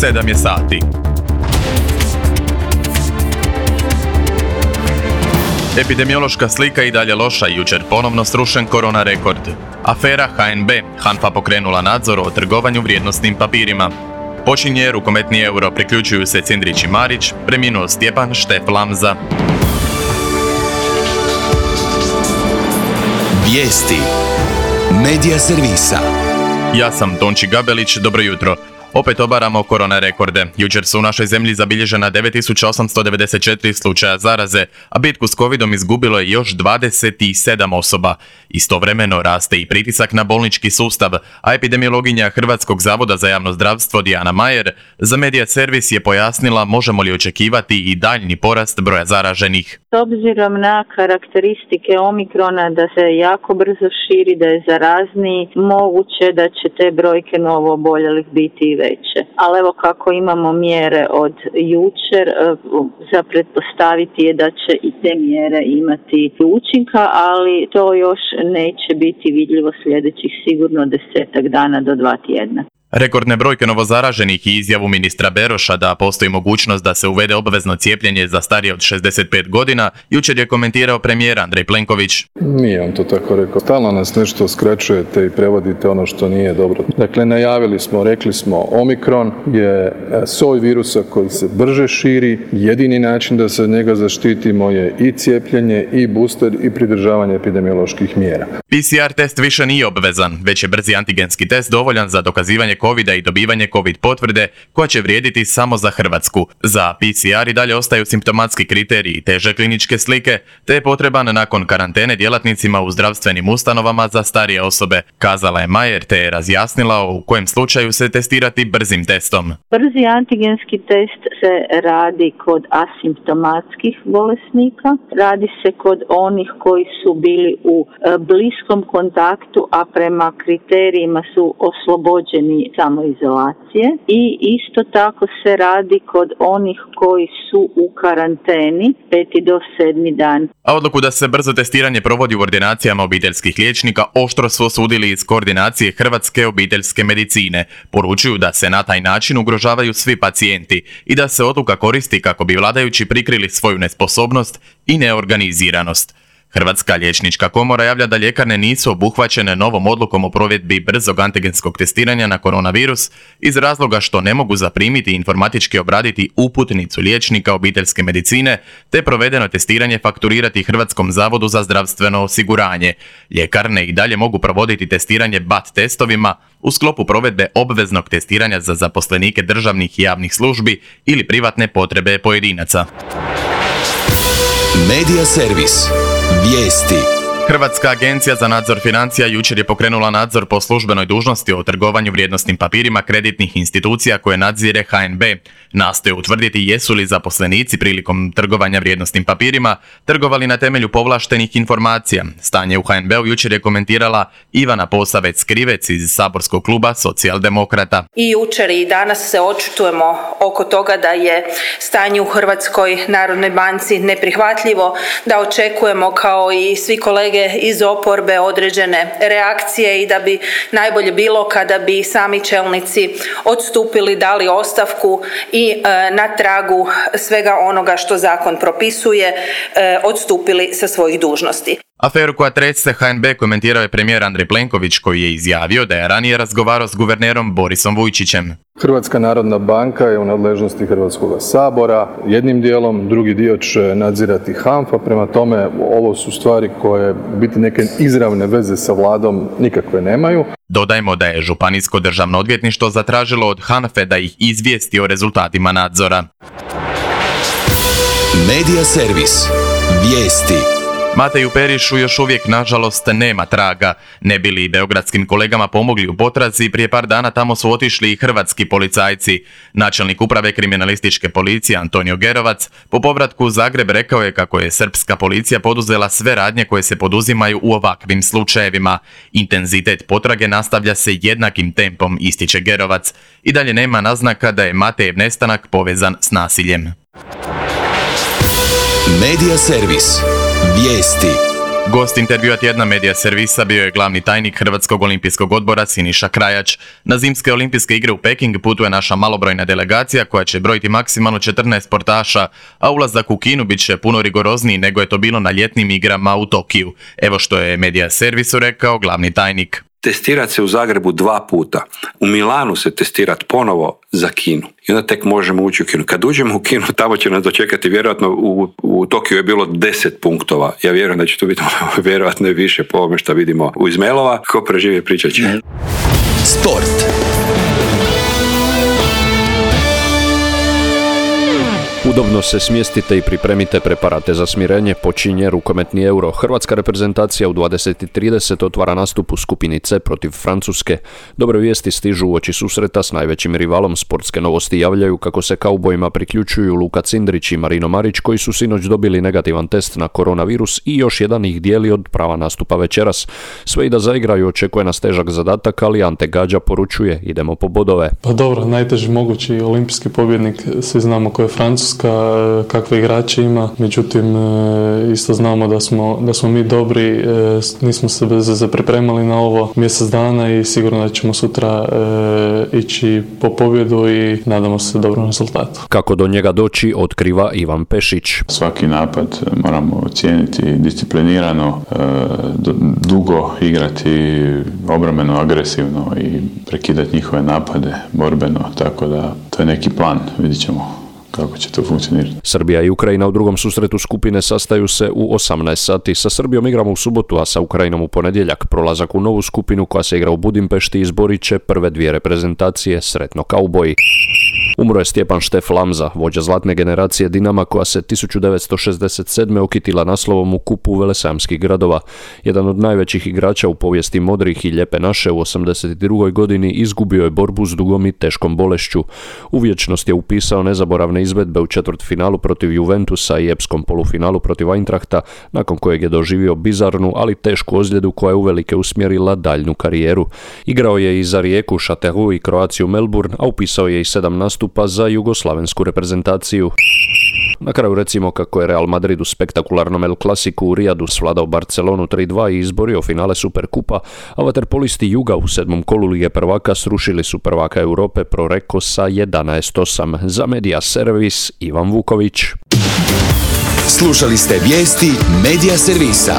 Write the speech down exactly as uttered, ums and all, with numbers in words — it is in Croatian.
sedam je sati. Epidemiološka slika i dalje loša, jučer ponovno srušen korona rekord. Afera H N B, HANFA pokrenula nadzor o trgovanju vrijednosnim papirima. Počinje rukometni euro, priključuju se Cindrić i Marić, preminuo Stjepan Štef Lamza. Vijesti Medija servisa. Ja sam Tonči Gabelić, dobro jutro. Opet obaramo korona rekorde. Jučer su u našoj zemlji zabilježena devet tisuća osamsto devedeset četiri slučaja zaraze, a bitku s covidom izgubilo je još dvadeset sedam osoba. Istovremeno raste i pritisak na bolnički sustav, a epidemiologinja Hrvatskog zavoda za javno zdravstvo Dijana Majer za Medija servis je pojasnila možemo li očekivati i daljnji porast broja zaraženih. S obzirom na karakteristike omikrona da se jako brzo širi, da je zarazniji, moguće da će te brojke novo oboljelih biti veće. Ali evo kako imamo mjere od jučer, za pretpostaviti je da će i te mjere imati učinka, ali to još neće biti vidljivo sljedećih sigurno desetak dana do dva tjedna. Rekordne brojke novozaraženih i izjavu ministra Beroša da postoji mogućnost da se uvede obvezno cijepljenje za starije od šezdeset pet godina, jučer je komentirao premijer Andrej Plenković. Nije on to tako rekao. Stalno nas nešto skraćujete i prevodite ono što nije dobro. Dakle, najavili smo, rekli smo, Omikron je soj virusa koji se brže širi. Jedini način da se od njega zaštitimo je i cijepljenje, i booster, i pridržavanje epidemioloških mjera. P C R test više nije obvezan, već je brzi antigenski test dovoljan za dokazivanje covida i dobivanje covid potvrde koja će vrijediti samo za Hrvatsku. Za P C R i dalje ostaju simptomatski kriteriji, teže kliničke slike, te je potreban nakon karantene djelatnicima u zdravstvenim ustanovama za starije osobe, kazala je Majer, te je razjasnila u kojem slučaju se testirati brzim testom. Brzi antigenski test se radi kod asimptomatskih bolesnika, radi se kod onih koji su bili u bliskom kontaktu, a prema kriterijima su oslobođeni samoizolacije, i isto tako se radi kod onih koji su u karanteni peti do sedmi dan. A odluku da se brzo testiranje provodi u ordinacijama obiteljskih liječnika oštro su osudili iz koordinacije Hrvatske obiteljske medicine. Poručuju da se na taj način ugrožavaju svi pacijenti i da se odluka koristi kako bi vladajući prikrili svoju nesposobnost i neorganiziranost. Hrvatska liječnička komora javlja da ljekarne nisu obuhvaćene novom odlukom o provedbi brzog antigenskog testiranja na koronavirus iz razloga što ne mogu zaprimiti i informatički obraditi uputnicu liječnika obiteljske medicine te provedeno testiranje fakturirati Hrvatskom zavodu za zdravstveno osiguranje. Ljekarne i dalje mogu provoditi testiranje B A T testovima u sklopu provedbe obveznog testiranja za zaposlenike državnih i javnih službi ili privatne potrebe pojedinaca. Medija servis. Vijesti. Hrvatska agencija za nadzor financija jučer je pokrenula nadzor po službenoj dužnosti o trgovanju vrijednosnim papirima kreditnih institucija koje nadzire H N B. Nastoje utvrditi jesu li zaposlenici prilikom trgovanja vrijednosnim papirima trgovali na temelju povlaštenih informacija. Stanje u H N B-u jučer je komentirala Ivana Posavec-Krivec iz saborskog kluba Socijaldemokrata. I jučer i danas se očitujemo oko toga da je stanje u Hrvatskoj narodnoj banci neprihvatljivo, da očekujemo kao i svi kolege iz oporbe određene reakcije i da bi najbolje bilo kada bi sami čelnici odstupili, dali ostavku i e, na tragu svega onoga što zakon propisuje e, odstupili sa svojih dužnosti. Aferu koja trese H N B komentirao je premijer Andrej Plenković koji je izjavio da je ranije razgovarao s guvernerom Borisom Vujčićem. Hrvatska narodna banka je u nadležnosti Hrvatskog sabora jednim dijelom, drugi dio će nadzirati HANFA, prema tome ovo su stvari koje biti neke izravne veze sa vladom nikakve nemaju. Dodajmo da je Županijsko državno odvjetništvo zatražilo od HANFE da ih izvijesti o rezultatima nadzora. Medija servis. Vijesti. Mateju Perišu još uvijek, nažalost, nema traga. Ne bi li beogradskim kolegama pomogli u potrazi, prije par dana tamo su otišli i hrvatski policajci. Načelnik uprave kriminalističke policije Antonio Gerovac po povratku u Zagreb rekao je kako je srpska policija poduzela sve radnje koje se poduzimaju u ovakvim slučajevima. Intenzitet potrage nastavlja se jednakim tempom, ističe Gerovac. I dalje nema naznaka da je Matejev nestanak povezan s nasiljem. Medija servis. Vijesti. Gost intervjua tjedna Medija servisa bio je glavni tajnik Hrvatskog olimpijskog odbora Siniša Krajač. Na zimske olimpijske igre u Peking putuje naša malobrojna delegacija koja će brojiti maksimalno četrnaest sportaša, a ulazak u Kinu bit će puno rigorozniji nego je to bilo na ljetnim igrama u Tokiju. Evo što je Medija servisu rekao glavni tajnik. Testirati se u Zagrebu dva puta. U Milanu se testirati ponovo za Kinu. I onda tek možemo ući u Kinu. Kad uđemo u Kinu, tamo će nas dočekati vjerojatno u, u Tokiju je bilo deset punktova. Ja vjerujem da će to biti vjerojatno i više po ovome što vidimo u Izmailova. Ko preživi pričat će. Sport. Udobno se smjestite i pripremite preparate za smirenje, počinje rukometni Euro. Hrvatska reprezentacija u dvadeset i trideset otvara nastup u skupini C protiv Francuske. Dobre vijesti stižu uoči susreta s najvećim rivalom. Sportske novosti javljaju kako se kaubojima priključuju Luka Cindrić i Marino Marić, koji su sinoć dobili negativan test na koronavirus i još jedan ih dijeli od prava nastupa večeras. Sve i da zaigraju očekuje nas težak zadatak, ali Ante Gađa poručuje idemo po bodove. Pa dobro, najteži mogući olimpijski pobjednik, svi znamo ko je Francuska, kakve igrače ima, međutim isto znamo da smo, da smo mi dobri, nismo se bez veze pripremali na ovo mjesec dana i sigurno da ćemo sutra e, ići po pobjedu i nadamo se dobrom rezultatu. Kako do njega doći otkriva Ivan Pešić. Svaki napad moramo cijeniti disciplinirano, e, dugo igrati obrambeno, agresivno i prekidati njihove napade borbeno, tako da to je neki plan, vidit ćemo kako će to funkcionirati. Srbija i Ukrajina u drugom susretu skupine sastaju se u osamnaest sati. Sa Srbijom igramo u subotu, a sa Ukrajinom u ponedjeljak. Prolazak u novu skupinu koja se igra u Budimpešti izborit će prve dvije reprezentacije. Sretno kauboji. Umro je Stjepan Štef Lamza, vođa zlatne generacije Dinama koja se tisuću devetsto šezdeset sedme okitila naslovom u kupu velesajamskih gradova. Jedan od najvećih igrača u povijesti modrih i lijepe naše u osamdeset drugoj godini izgubio je borbu s dugom i teškom bolešću. U vječnost je upisao nezaboravne izvedbe u četvrtfinalu protiv Juventusa i epskom polufinalu protiv Eintrachta, nakon kojeg je doživio bizarnu, ali tešku ozljedu koja je uvelike usmjerila daljnju karijeru. Igrao je i za Rijeku, Chateau i Croaciju Melbourne, a upisao je i sedam nastupa za jugoslavensku reprezentaciju. Na kraju recimo kako je Real Madrid u spektakularnom El Clasicu u Rijadu svladao Barcelonu tri dva i izborio finale Superkupa, a vaterpolisti Juga u sedmom kolu Lige prvaka srušili su prvaka Europe Proreko sa jedanaest osam. Za Medija servis Ivan Vuković. Slušali ste vijesti Medija servisa.